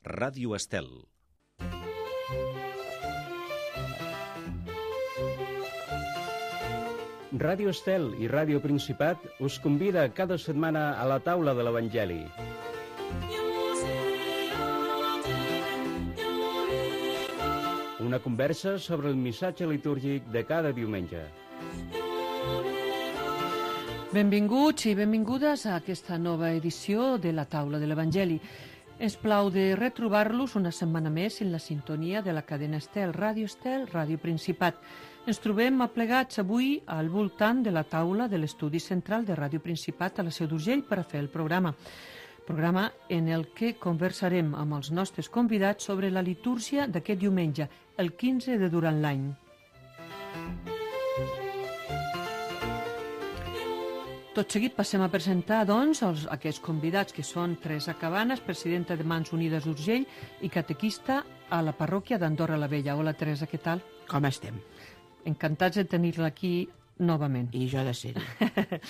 Ràdio Estel. Ràdio Estel i Ràdio Principat us convida cada setmana a la taula de l'Evangeli. Una conversa sobre el missatge litúrgic de cada diumenge. Benvinguts i benvingudes a aquesta nova edició de la taula de l'Evangeli. Ens plau de retrobar-los una setmana més en la sintonia de la cadena Estel, Ràdio Principat. Ens trobem aplegats avui al voltant de la taula de l'estudi central de Ràdio Principat a la Seu d'Urgell per a fer el programa en el que conversarem amb els nostres convidats sobre la litúrgia d'aquest diumenge, el 15 de durant l'any. Tot seguit passem a presentar, doncs, aquests convidats que són Teresa Cabanes, presidenta de Mans Unides d'Urgell i catequista a la parròquia d'Andorra la Vella. Hola, Teresa, què tal? Com estem? Encantats de tenir-la aquí novament. I jo de ser-hi.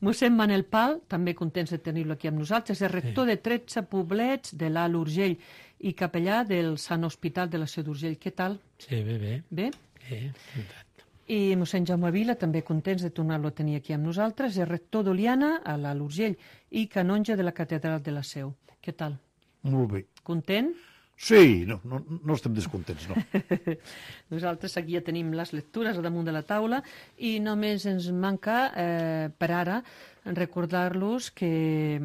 Mossèn Manel Pal, també contents de tenir-lo aquí amb nosaltres, és rector de 13 poblets de l'Alt Urgell i capellà del Sant Hospital de la Seu d'Urgell. Què tal? Sí, bé. Bé? Encantat. I mossèn Jaume Vila, també contents de tornar-lo a tenir aquí amb nosaltres, és rector d'Oliana a l'Alt Urgell i canonge de la Catedral de la Seu. Què tal? Molt bé. Content? Sí, no estem descontents, no. Nosaltres aquí ja tenim les lectures a damunt de la taula i només ens manca, per ara, recordar-los que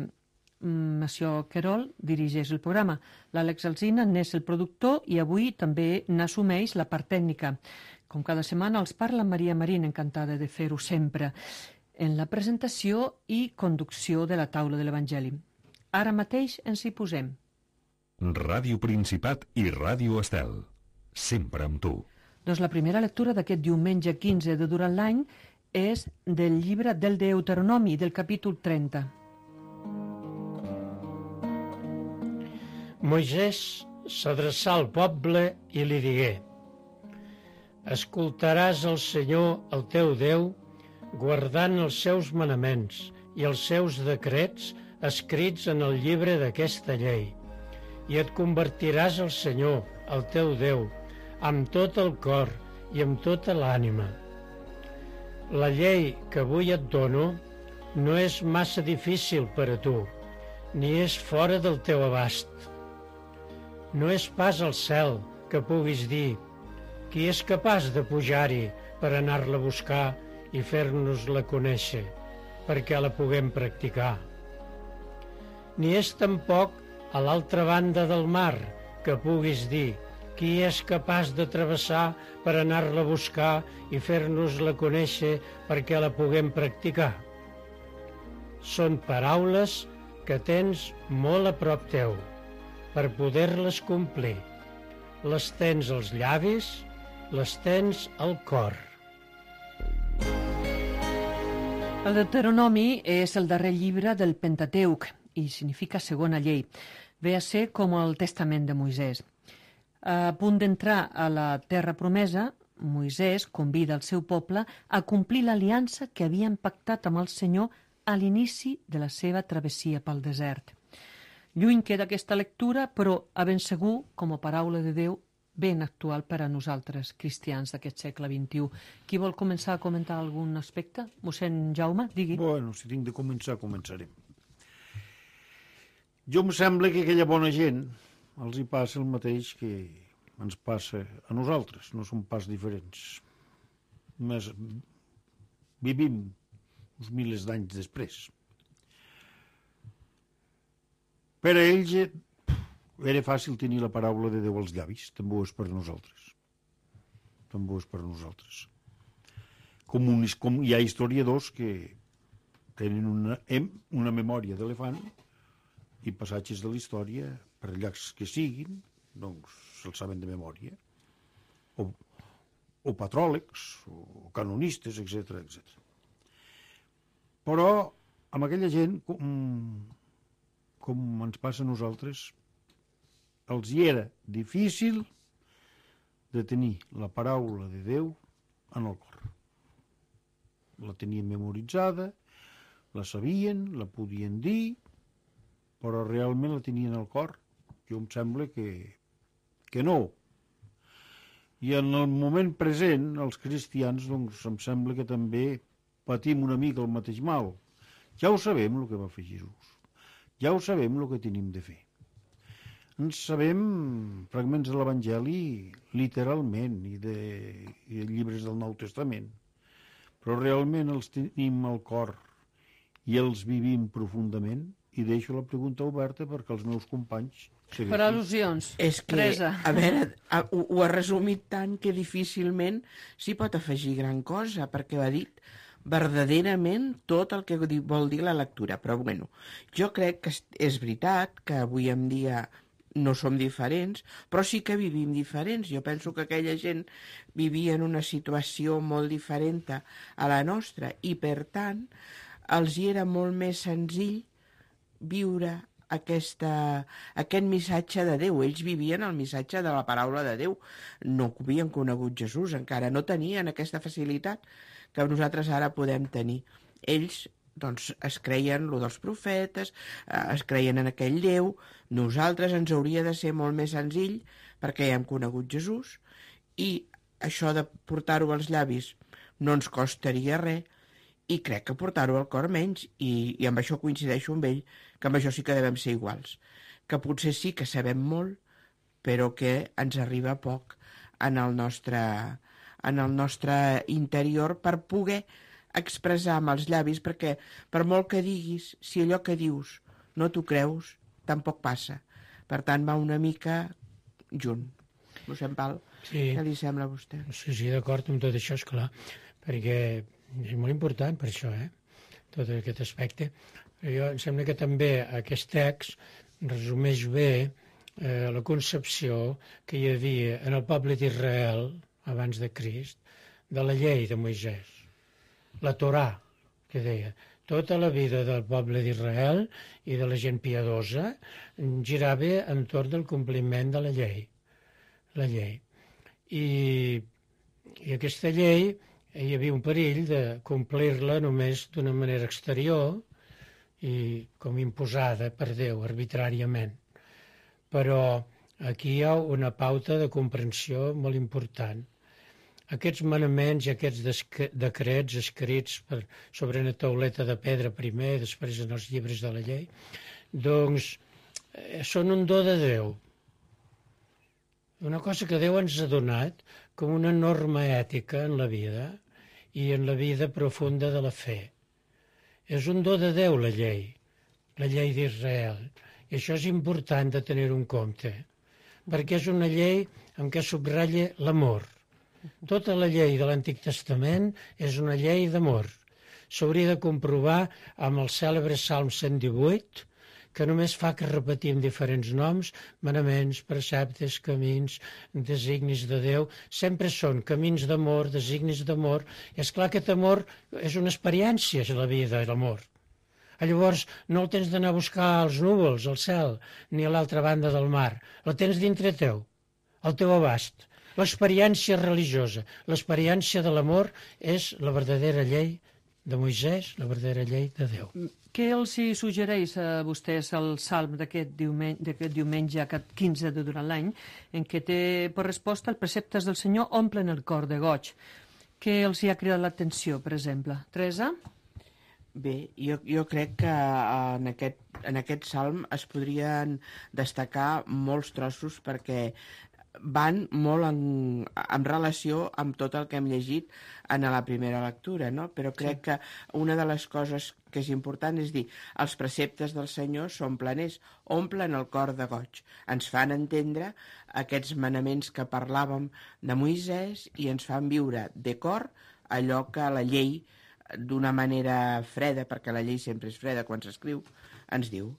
Monsieur Querol dirigeix el programa. L'Àlex Alsina n'és el productor i avui també n'assumeix la part tècnica. Com cada setmana els parla Maria Marín, encantada de fer-ho sempre, en la presentació i conducció de la taula de l'Evangeli. Ara mateix ens hi posem. Ràdio Principat i Ràdio Estel. Sempre amb tu. Doncs la primera lectura d'aquest diumenge 15 de durant l'any és del llibre del Deuteronomi, del capítol 30. Moisès s'adreçà al poble i li digué: escoltaràs el Senyor, el teu Déu, guardant els seus manaments i els seus decrets escrits en el llibre d'aquesta llei, i et convertiràs al Senyor, el teu Déu, amb tot el cor i amb tota l'ànima. La llei que avui et dono no és massa difícil per a tu, ni és fora del teu abast. No és pas al cel que puguis dir: qui és capaç de pujar-hi per anar-la a buscar i fer-nos-la conèixer, perquè la puguem practicar. Ni és tampoc a l'altra banda del mar que puguis dir: qui és capaç de travessar per anar-la a buscar i fer-nos-la conèixer perquè la puguem practicar. Són paraules que tens molt a prop teu per poder-les complir. Les tens als llavis, les tens al cor. El Deuteronomi és el darrer llibre del Pentateuc i significa segona llei. Ve a ser com el testament de Moisès. A punt d'entrar a la terra promesa, Moisès convida el seu poble a complir l'aliança que havien pactat amb el Senyor a l'inici de la seva travessia pel desert. Lluny queda aquesta lectura, però a ben segur, com a paraula de Déu, ben actual per a nosaltres, cristians d'aquest segle XXI. Qui vol començar a comentar algun aspecte? Mossèn Jaume, digui. Bueno, si tinc de començar, començarem. Jo em sembla que aquella bona gent els hi passa el mateix que ens passa a nosaltres, no som pas diferents. Més vivim uns milers d'anys després. Per a ells era fàcil tenir la paraula de Déu als llavis, també ho és per nosaltres. També ho és per nosaltres. Com hi ha historiadors que tenen una memòria d'elefant i passatges de la història, per llargs que siguin, doncs se'ls saben de memòria. O patròlegs, o canonistes, etc. Però amb aquella gent, com ens passa a nosaltres, els hi era difícil de tenir la paraula de Déu en el cor. La tenien memoritzada, la sabien, la podien dir, però realment la tenien al cor Jo em sembla que no. I en el moment present, els cristians, doncs, em sembla que també patim una mica el mateix mal. Ja ho sabem, el que va fer Jesús. Ja ho sabem, el que tenim de fer. Ens sabem fragments de l'Evangeli literalment i de llibres del Nou Testament, però realment els tenim al cor i els vivim profundament, i deixo la pregunta oberta perquè els meus companys segueixin. Per al·lusions. És que, Teresa. a veure, ho ha resumit tant que difícilment s'hi pot afegir gran cosa, perquè ho ha dit verdaderament tot el que vol dir la lectura. Però, bueno, jo crec que és veritat que avui en dia no som diferents, però sí que vivim diferents. Jo penso que aquella gent vivia en una situació molt diferent a la nostra i, per tant, els hi era molt més senzill viure aquest missatge de Déu. Ells vivien el missatge de la paraula de Déu. No havien conegut Jesús, encara no tenien aquesta facilitat que nosaltres ara podem tenir. Ells doncs es creien lo dels profetes, es creien en aquell Déu. Nosaltres ens hauria de ser molt més senzill perquè ja hem conegut Jesús i això de portar-ho als llavis no ens costaria res, i crec que portar-ho al cor menys, i amb això coincideixo amb ell, que amb això sí que devem ser iguals, que potser sí que sabem molt, però que ens arriba poc en el nostre interior per poder expressar amb els llavis, perquè per molt que diguis, si allò que dius no t'ho creus, tampoc passa. Per tant, va una mica junt. Mossèn Pal, Sí. què li sembla a vostè? Sí, d'acord amb tot això, esclar, perquè és molt important per això, tot aquest aspecte. Jo em sembla que també aquest text resumeix bé la concepció que hi havia en el poble d'Israel, abans de Crist, de la llei de Moisès. La Torà, que deia, tota la vida del poble d'Israel i de la gent piadosa girava entorn del compliment de la llei. La llei. I aquesta llei hi havia un perill de complir-la només d'una manera exterior i com imposada per Déu, arbitràriament. Però aquí hi ha una pauta de comprensió molt important. Aquests manaments i aquests decrets escrits sobre una tauleta de pedra primer, després en els llibres de la llei, doncs són un do de Déu. Una cosa que Déu ens ha donat com una norma ètica en la vida i en la vida profunda de la fe. És un do de Déu, la llei d'Israel. I això és important de tenir en compte, perquè és una llei en què subratlla l'amor. Tota la llei de l'Antic Testament és una llei d'amor. S'hauria de comprovar amb el cèlebre Salm 118, que només fa que repetim diferents noms, manaments, preceptes, camins, designis de Déu, sempre són camins d'amor, designis d'amor, i esclar aquest amor és una experiència, és la vida, l'amor. Llavors no el tens d'anar a buscar als núvols, al cel, ni a l'altra banda del mar, la tens dintre teu, al teu abast. L'experiència religiosa, l'experiència de l'amor és la verdadera llei de Moisès, la verdadera llei de Déu. Què els hi suggereix a vostès el salm d'aquest diumenge 15 de durant l'any, en què té per resposta els preceptes del Senyor omplen el cor de goig? Què els hi ha cridat l'atenció, per exemple? Teresa? Bé, jo crec que en aquest salm es podrien destacar molts trossos perquè van molt en relació amb tot el que hem llegit en la primera lectura, no? Però crec que una de les coses que és important és dir, els preceptes del Senyor són planers, omplen el cor de goig, ens fan entendre aquests manaments que parlàvem de Moisès i ens fan viure de cor allò que la llei, d'una manera freda, perquè la llei sempre és freda quan s'escriu, ens diu.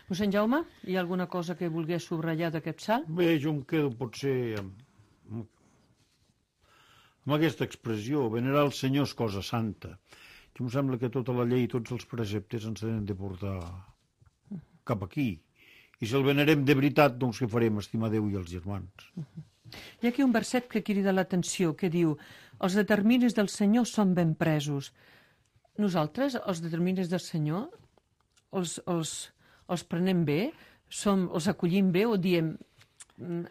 Mossèn Jaume, hi ha alguna cosa que volgués subratllar d'aquest salt? Bé, jo em quedo potser amb aquesta expressió, venerar el Senyor és cosa santa. Jo em sembla que tota la llei i tots els preceptes ens tenen de portar cap aquí. I si el venerem de veritat, doncs què farem? Estimar Déu i els germans. Hi ha aquí un verset que crida l'atenció, que diu: els determinis del Senyor són ben presos. Nosaltres, els determinis del Senyor, els prenem bé? els acollim bé o diem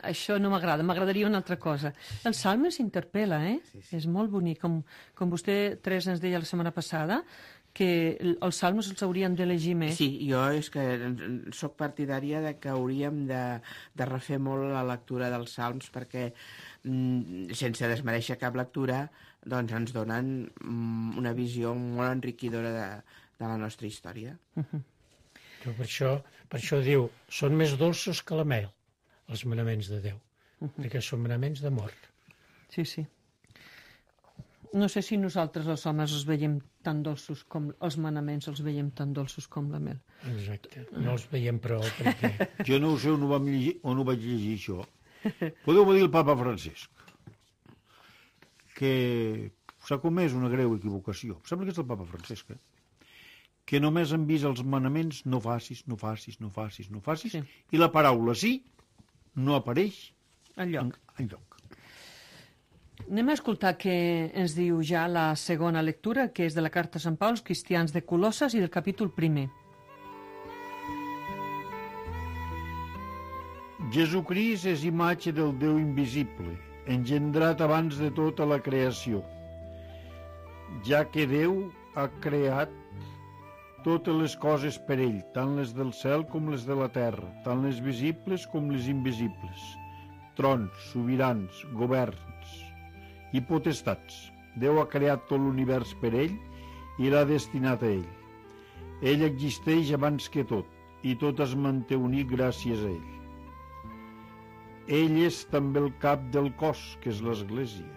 això no m'agrada, m'agradaria una altra cosa. El Salmes s'interpel·la, Sí. És molt bonic. Com vostè, Teresa, ens deia la setmana passada, que els Salmes els hauríem de llegir més. Sí, jo és que sóc partidària de que hauríem de refer molt la lectura dels Salms perquè, sense desmereixer cap lectura, doncs ens donen una visió molt enriquidora de la nostra història. Per això diu, són més dolços que la mel, els manaments de Déu, perquè són manaments d'amor. Sí, sí. No sé si nosaltres els homes els veiem tan dolços com els manaments, els veiem tan dolços com la mel. Exacte, no els veiem prou, perquè... Jo no ho sé on ho vaig llegir, això. Podeu dir el papa Francesc, que s'ha comès una greu equivocació. Em sembla que és el papa Francesc, que només han vist els manaments no facis, Sí. i la paraula sí no apareix Enlloc. enlloc. Anem a escoltar què ens diu ja la segona lectura, que és de la carta a Sant Pau als cristians de Colosses i del capítol 1. Jesucrist és imatge del Déu invisible, engendrat abans de tota la creació, ja que Déu ha creat totes les coses per ell, tant les del cel com les de la terra, tant les visibles com les invisibles, trons, sobirans, governs i potestats. Déu ha creat tot l'univers per ell i l'ha destinat a ell. Ell existeix abans que tot, i tot es manté unit gràcies a ell. Ell és també el cap del cos, que és l'Església.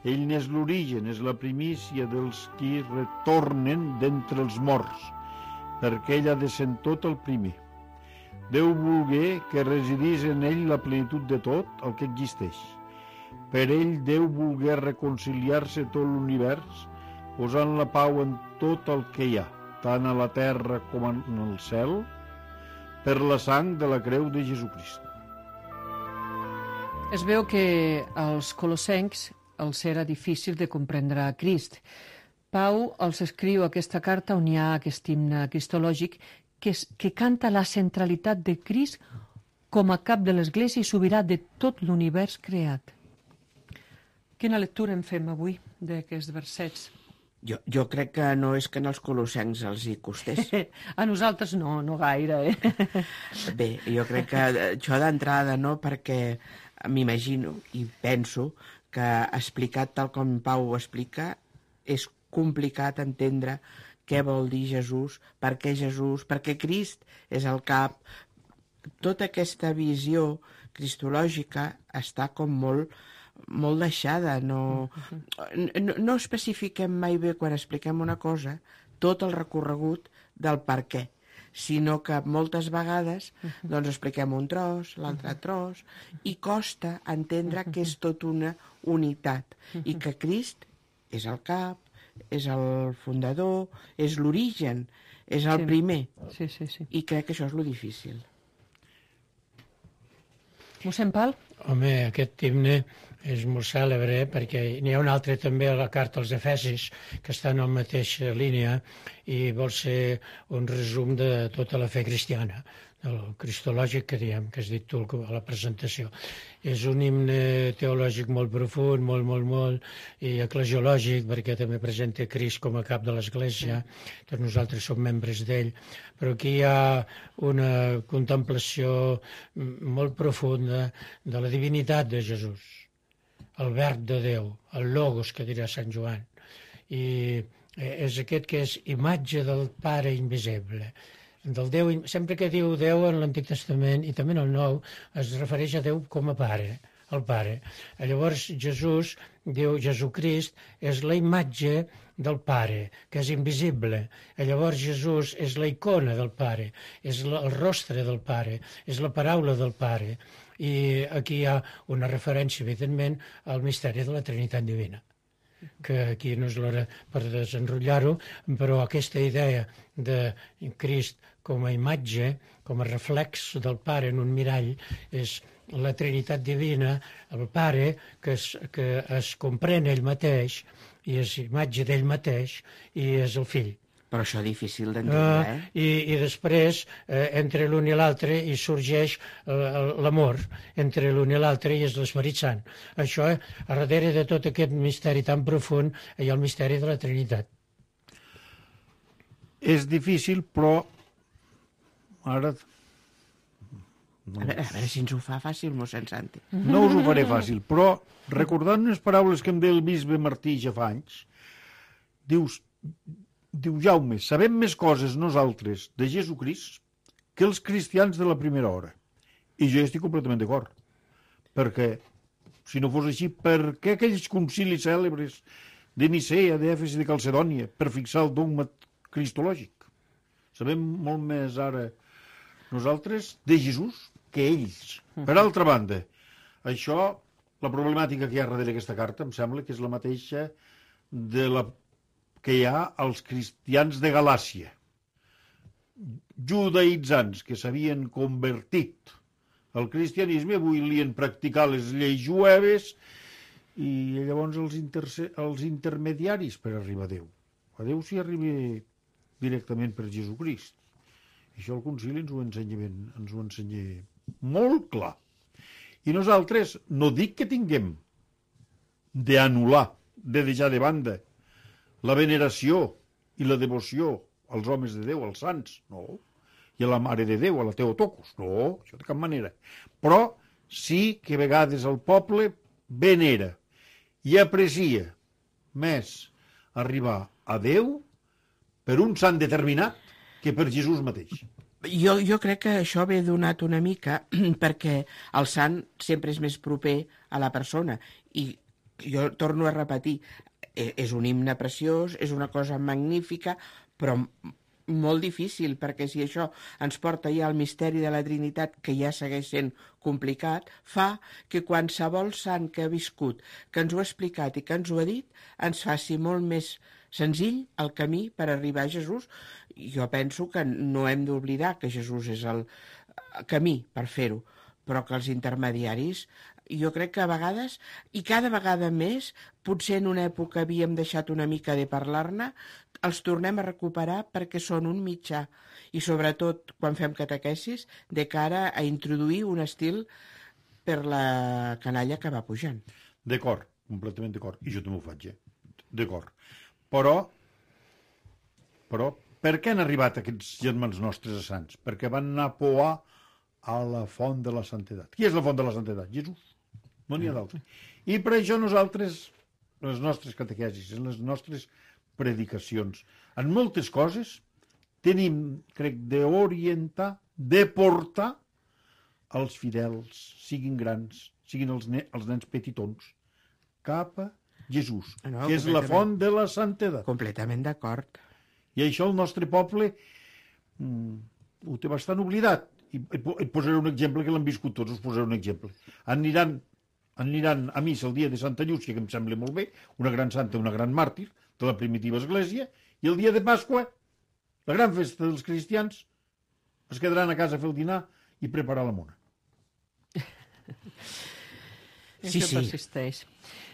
Ell n'és l'origen, és la primícia dels qui retornen d'entre els morts, perquè ell ha de ser tot el primer. Déu volgué que residís en ell la plenitud de tot el que existeix. Per ell Déu volgué reconciliar-se tot l'univers, posant la pau en tot el que hi ha, tant a la terra com en el cel, per la sang de la creu de Jesucrist. Es veu que als colossencs els era difícil de comprendre a Crist. Pau els escriu aquesta carta on hi ha aquest himne cristològic que canta la centralitat de Crist com a cap de l'Església i sobirà de tot l'univers creat. Quina lectura en fem avui d'aquests versets? Jo crec que no és que als colossencs els hi costés. A nosaltres no gaire, Bé, jo crec que això d'entrada no, perquè m'imagino i penso que explicat tal com Pau ho explica és complicat entendre què vol dir Jesús, per què Crist és el cap. Tota aquesta visió cristològica està com molt deixada. No especifiquem mai bé quan expliquem una cosa tot el recorregut del per què, sinó que moltes vegades doncs expliquem un tros, l'altre tros, i costa entendre que és tot una unitat i que Crist és el cap, és el fundador, és l'origen, és el primer. Sí. I crec que això és lo difícil. Mossèn Pal? Home, aquest himne és molt cèlebre perquè n'hi ha un altre també a la carta als Efesis que està en la mateixa línia i vol ser un resum de tota la fe cristiana, el cristològic que diem, que has dit tu a la presentació. És un himne teològic molt profund, molt, i eclesiològic, perquè també presenta Crist com a cap de l'Església, tots nosaltres som membres d'ell, però aquí hi ha una contemplació molt profunda de la divinitat de Jesús, el verb de Déu, el logos, que dirà Sant Joan, i és aquest que és imatge del Pare invisible, del Déu. Sempre que diu Déu en l'Antic Testament i també en el Nou es refereix a Déu com a Pare, el Pare. Llavors Jesús diu Jesucrist és la imatge del Pare, que és invisible. Llavors Jesús és la icona del Pare, és el rostre del Pare, és la paraula del Pare. I aquí hi ha una referència, evidentment, al misteri de la Trinitat Divina, que aquí no és l'hora per desenrotllar-ho, però aquesta idea de Crist com a imatge, com a reflex del Pare en un mirall, és la Trinitat Divina, el Pare que es comprèn ell mateix i és imatge d'ell mateix i és el Fill, Però això difícil d'entendre, I després, entre l'un i l'altre, hi sorgeix l'amor entre l'un i l'altre i és l'Esperit Sant. Això, a darrere de tot aquest misteri tan profund, hi ha el misteri de la Trinitat. És difícil, però ara... A veure si ens ho fa fàcil, mossèn Santi. No us ho faré fàcil, però recordant unes paraules que em deia el bisbe Martí ja fa anys, diu, Jaume, sabem més coses nosaltres de Jesucrist que els cristians de la primera hora. I jo estic completament d'acord. Perquè, si no fos així, per què aquells concilis cèlebres de Nicea, d'Èfes i de Calcedònia per fixar el dogma cristològic? Sabem molt més ara nosaltres de Jesús que ells. Per altra banda, això, la problemàtica que hi ha darrere aquesta carta, em sembla que és la mateixa de la que hi ha als cristians de Galàcia, judaïtzants que s'havien convertit al cristianisme, avui volien practicar les lleis jueves i llavors els intermediaris per arribar a Déu. A Déu s'hi arriba directament per Jesucrist. Això el concili ens ho ensenya molt clar. I nosaltres no dic que tinguem d'anul·lar, de deixar de banda la veneració i la devoció als homes de Déu, als sants, no. I a la Mare de Déu, a la Teotocos, no, això de cap manera. Però sí que a vegades el poble venera i aprecia més arribar a Déu per un sant determinat que per Jesús mateix. Jo crec que això ve donat una mica perquè el sant sempre és més proper a la persona i jo torno a repetir, és un himne preciós, és una cosa magnífica, però molt difícil, perquè si això ens porta ja al misteri de la Trinitat, que ja segueix sent complicat, fa que qualsevol sant que ha viscut, que ens ho ha explicat i que ens ho ha dit, ens faci molt més senzill el camí per arribar a Jesús. Jo penso que no hem d'oblidar que Jesús és el camí per fer-ho, però que els intermediaris, jo crec que a vegades, i cada vegada més, potser en una època havíem deixat una mica de parlar-ne, els tornem a recuperar perquè són un mitjà, i sobretot quan fem catequesis, de cara a introduir un estil per la canalla que va pujant. D'acord, completament d'acord, i jo també ho faig, d'acord. Però, per què han arribat aquests germans nostres a sants? Perquè van anar a poar a la font de la santedat. Qui és la font de la santedat? Jesús. No n'hi ha d'altre. I per això nosaltres, les nostres catequesis, les nostres predicacions, en moltes coses, tenim, crec, d'orientar, de portar els fidels, siguin grans, siguin els nens petitons, cap a Jesús, que és la font de la santedat. Completament d'acord. I això el nostre poble ho té bastant oblidat. I et posaré un exemple que l'han viscut tots, us posaré un exemple. Aniran a missa el dia de Santa Llúcia, que em sembla molt bé, una gran santa, una gran màrtir de la primitiva església, i el dia de Pasqua, la gran festa dels cristians, es quedaran a casa a fer el dinar i preparar la mona. Sí, sí. Persisteix.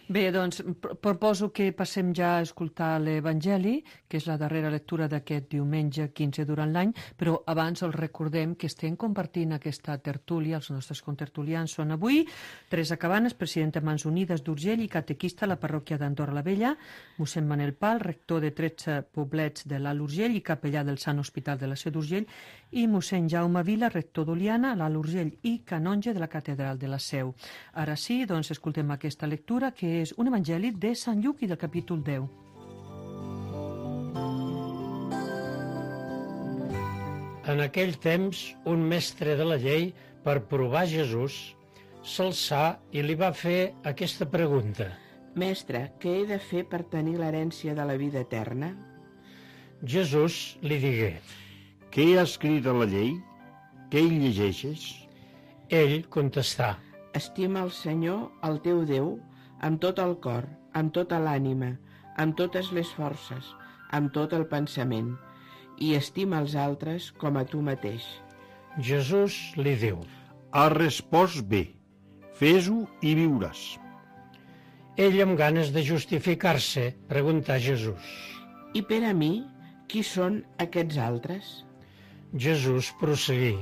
Bé, doncs, proposo que passem ja a escoltar l'Evangeli, que és la darrera lectura d'aquest diumenge 15 durant l'any, però abans els recordem que estem compartint aquesta tertúlia, els nostres contertulians són avui Teresa Cabanes, presidenta de Mans Unides d'Urgell i catequista a la parròquia d'Andorra la Vella, mossèn Manel Pal, rector de 13 poblets de l'Alt Urgell i capellà del Sant Hospital de la Seu d'Urgell, i mossèn Jaume Vila, rector d'Oliana, a l'Alt Urgell i canonge de la catedral de la Seu. Ara sí, doncs, escoltem aquesta lectura, que és un evangeli de Sant Lluc i del capítol 10. En aquell temps, un mestre de la llei, per provar Jesús, s'alçà i li va fer aquesta pregunta. Mestre, què he de fer per tenir l'herència de la vida eterna? Jesús li digué. Què hi ha escrit a la llei? Què hi llegeixes? Ell contestà. Estima el Senyor, el teu Déu, amb tot el cor, amb tota l'ànima, amb totes les forces, amb tot el pensament, i estima els altres com a tu mateix. Jesús li diu. Has respost bé, fes-ho i viuràs. Ell, amb ganes de justificar-se, preguntà a Jesús. I per a mi, Qui són aquests altres? Jesús prosseguí.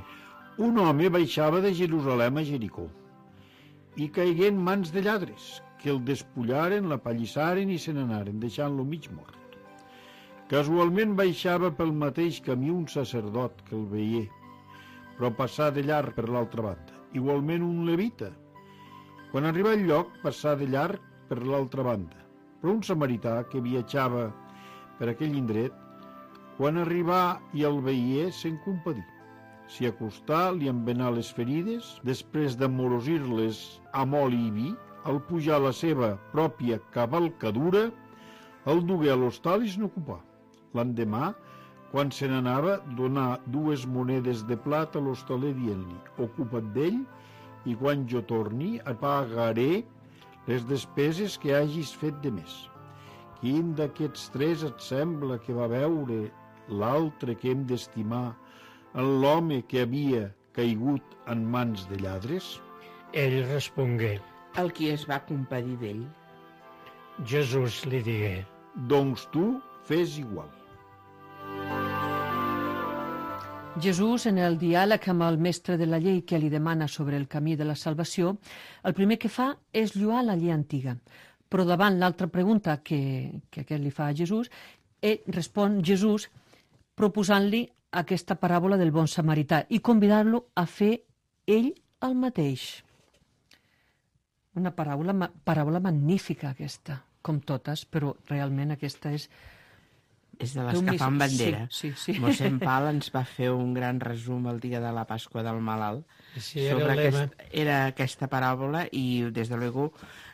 Un home baixava de Jerusalem a Jericó i caigué en mans de lladres, que el despullaren, l'apallissaren i se n'anaren, deixant-lo mig mort. Casualment baixava pel mateix camí un sacerdot que el veié, però passà de llarg per l'altra banda. Igualment un levita. Quan arribà al lloc, passà de llarg per l'altra banda. Però un samarità que viatjava per aquell indret, quan arribà i el veié, se'n compadí. S'hi acostà, li envenà les ferides, després d'amorosir-les amb oli i vi, al pujar la seva pròpia cavalcadura, el dugué a l'hostal i se n'ocupà. L'endemà, quan se n'anava, donà 2 monedes de plata a l'hostaler dient-li: ocupa't d'ell i quan jo torni et pagaré les despeses que hagis fet de més. Quin d'aquests 3 et sembla que va veure l'altre que hem d'estimar en l'home que havia caigut en mans de lladres? Ell respongué. El qui es va compadir d'ell. Jesús li digué. Doncs tu fes igual. Jesús, en el diàleg amb el mestre de la llei que li demana sobre el camí de la salvació, el primer que fa és lluar la llei antiga. Però davant l'altra pregunta que aquest li fa a Jesús, respon Jesús proposant-li aquesta paràbola del bon samarità i convidar-lo a fer ell el mateix. Una paràbola magnífica aquesta, com totes, però realment aquesta és... És de les que fan bandera. Sí. Mossèn Pal ens va fer un gran resum el dia de la Pasqua del Malalt Sí, sobre era aquesta paràbola i, des de luego,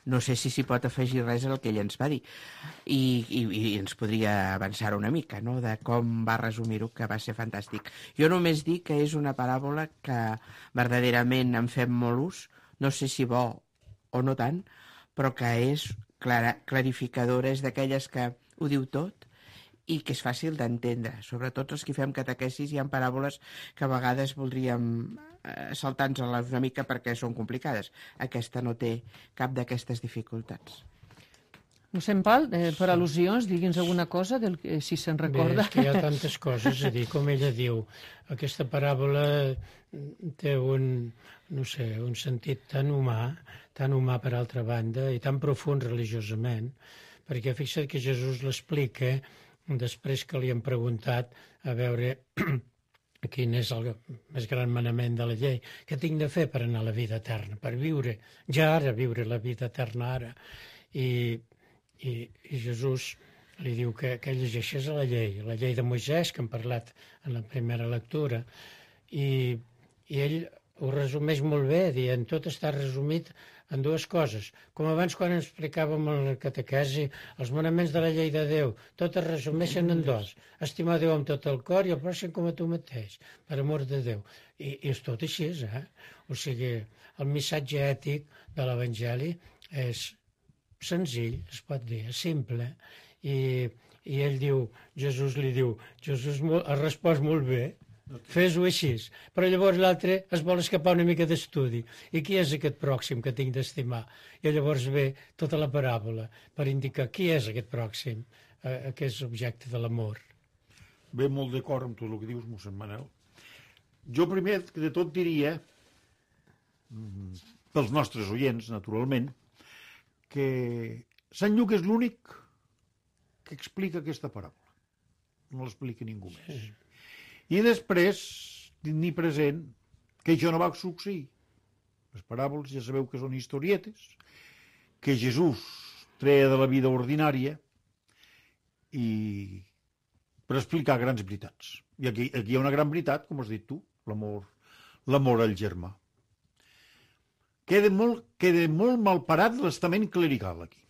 no sé si s'hi pot afegir res al que ell ens va dir. I ens podria avançar una mica, no?, de com va resumir-ho, que va ser fantàstic. Jo només dic que és una paràbola que verdaderament en fem molt ús, no sé si bo o no tant, però que és clarificadora, és d'aquelles que ho diu tot i que és fàcil d'entendre. Sobretot els que fem catequesis hi ha paràboles que a vegades voldríem saltar-nos-les una mica perquè són complicades. Aquesta no té cap d'aquestes dificultats. Mossèn Pal, per al·lusions, digui'ns alguna cosa, si se'n recorda. Bé, és que hi ha tantes coses a dir. Com ella diu, aquesta paràbola té un sentit tan humà per altra banda, i tan profund religiosament, perquè fixa't que Jesús l'explica després que li han preguntat a veure quin és el més gran manament de la llei. Què tinc de fer per anar a la vida eterna? Per viure, ja ara, viure la vida eterna ara. I Jesús li diu que llegeixés la llei de Moisès, que hem parlat en la primera lectura, i ell ho resumeix molt bé, dient tot està resumit en 2 coses. Com abans quan ens explicàvem en la catequesi, els manaments de la llei de Déu, tot es resumeixen en 2. Estimar Déu amb tot el cor i el pròxim com a tu mateix, per amor de Déu. I és tot així, O sigui, el missatge ètic de l'Evangeli és senzill, es pot dir, és simple. I ell diu, Jesús ha respost molt bé, fes-ho així. Però llavors l'altre es vol escapar una mica d'estudi. I qui és aquest pròxim que tinc d'estimar? I llavors ve tota la paràbola per indicar qui és aquest pròxim, que és objecte de l'amor. Ve molt d'acord amb tot el que dius, mossèn Manel. Jo primer de tot diria, pels nostres oients, naturalment, que Sant Lluc és l'únic que explica aquesta paràbola. No l'explica ningú més. Sí. I després, tenir present que això no va succeir. Les paràboles ja sabeu que són historietes, que Jesús treia de la vida ordinària i per explicar grans veritats. I aquí hi ha una gran veritat, com has dit tu, l'amor al germà. Queda molt malparat l'estament clerical aquí.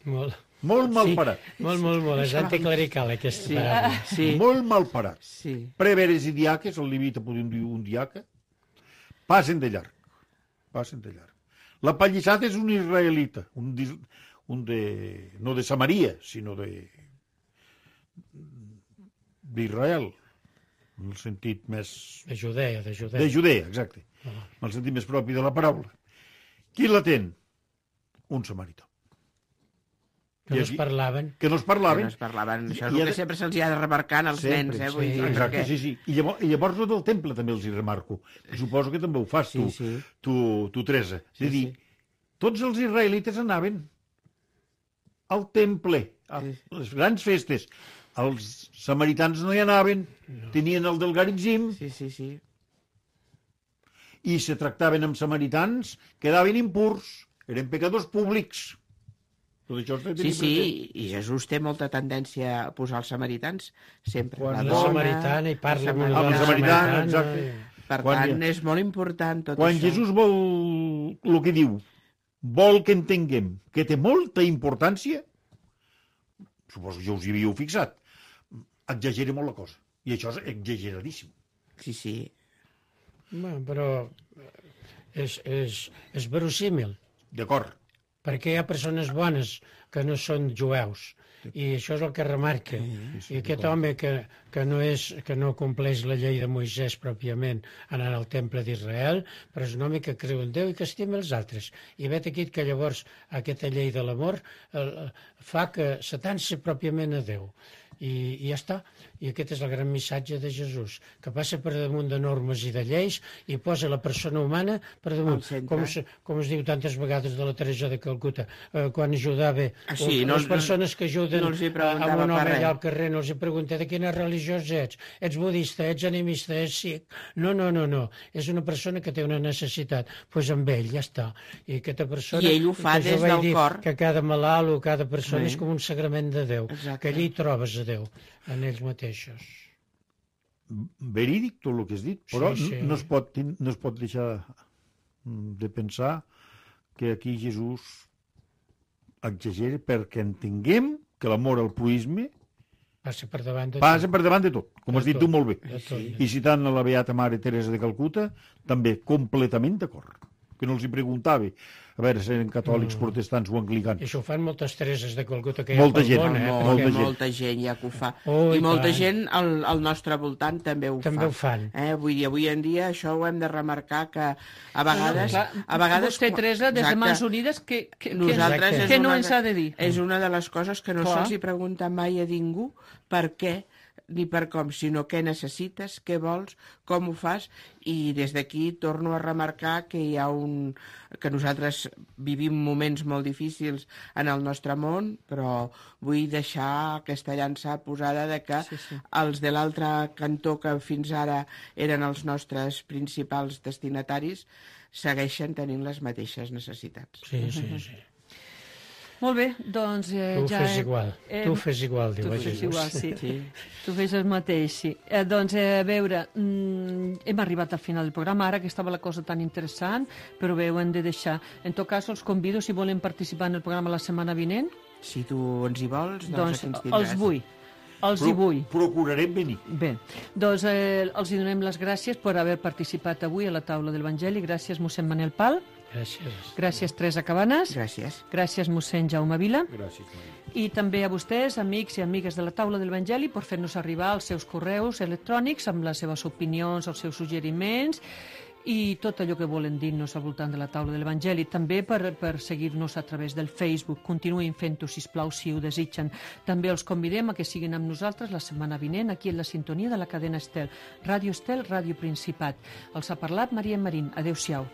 Molt malparat. Molt. És anticlerical aquesta paràbola. Sí. Molt malparat. Sí. Preveres i diaques, el limita podem dir un diaca, passen de llarg. La pallissada és un israelita, no de Samaria, sinó d'Israel, en el sentit més... De Judea. De Judea, exacte. En el sentit més propi de la paraula. Qui l'atén? Un samarità. Que no es parlaven. Que no es parlaven. Que no es parlaven. Això és el que sempre se'ls ha de remarcar als nens, vull dir, exacte, perquè... sí. I llavors el del temple també els hi remarco. Suposo que també ho fas tu Teresa. És a dir, tots els israelites anaven al temple, a les grans festes. Els samaritans no hi anaven, tenien el del Garitzim. Sí. I se tractaven amb samaritans, quedaven impurs, eren pecadors públics. Sí, i Jesús té molta tendència a posar els samaritans sempre. Quan la samaritana i parla amb la samaritana, exacte. Per tant, és molt important tot quan això. Quan Jesús vol el que diu, vol que entenguem que té molta importància, suposo que ja us hi havíeu fixat, exagera molt la cosa. I això és exageradíssim. Sí. Bueno, però és verossímil. D'acord. Perquè hi ha persones bones que no són jueus, i això és el que remarca. I aquest home que no compleix la llei de Moisès pròpiament anant al temple d'Israel, però és un home que creu en Déu i que estima els altres. I vet aquí que llavors aquesta llei de l'amor fa que s'atansi pròpiament a Déu. I ja està. I aquest és el gran missatge de Jesús, que passa per damunt de normes i de lleis i posa la persona humana per damunt. Com es diu tantes vegades de la Teresa de Calcuta, quan ajudava les persones que ajuden a un home allà al carrer, no els pregunta de quina religió ets. Ets budista, ets animista, ets sikh. No. És una persona que té una necessitat. Doncs amb ell, ja està. I aquesta persona... I ell ho fa des del cor. Que cada malalt o cada persona és com un sagrament de Déu. Que allí trobes a Déu, en ells mateixos. Verídic tot el que has dit, però no es pot deixar de pensar que aquí Jesús exagera perquè entenguem que l'amor al proisme passa per davant de tot, com has dit tu molt bé. I citant la beata Mare Teresa de Calcuta, també completament d'acord. Que no els hi preguntava a veure si eren catòlics, protestants o anglicans. I això ho fan moltes Tereses de Calcuta que hi ha pel món. Molta gent ja que ho fa. I molta gent al nostre voltant també ho fan. Vull dir, avui en dia això ho hem de remarcar que a vegades... Vostè, Teresa, des de Mans Unides, què no ens ha de dir? És una de les coses que no se'ls hi pregunta mai a ningú per què ni per com, sinó què necessites, què vols, com ho fas, i des d'aquí torno a remarcar que hi ha que nosaltres vivim moments molt difícils en el nostre món, però vull deixar aquesta llança posada de que els de l'altre cantó que fins ara eren els nostres principals destinataris segueixen tenint les mateixes necessitats. Sí. Molt bé, doncs... Tu fes igual, diu Jesús. Tu fes el mateix, sí. Doncs, a veure, hem arribat al final del programa, ara que estava la cosa tan interessant, però bé, ho hem de deixar. En tot cas, els convido, si volen participar en el programa la setmana vinent. Si tu ens hi vols, doncs aquí ens tindràs. Els hi vull. Procurarem venir. Bé, doncs els hi donem les gràcies per haver participat avui a la taula de l'Evangeli. Gràcies, mossèn Manel Pal. Gràcies, Teresa Cabanes. Gràcies, mossèn Jaume Vila. I també a vostès, amics i amigues de la taula de l'Evangeli, per fer-nos arribar els seus correus electrònics amb les seves opinions, els seus suggeriments i tot allò que volen dir-nos al voltant de la taula de l'Evangeli. També per seguir-nos a través del Facebook. Continuïn fent-ho, sisplau, si ho desitgen. També els convidem a que siguin amb nosaltres la setmana vinent aquí en la sintonia de la cadena Estel. Ràdio Estel, Ràdio Principat. Els ha parlat Maria Marín. Adéu-siau.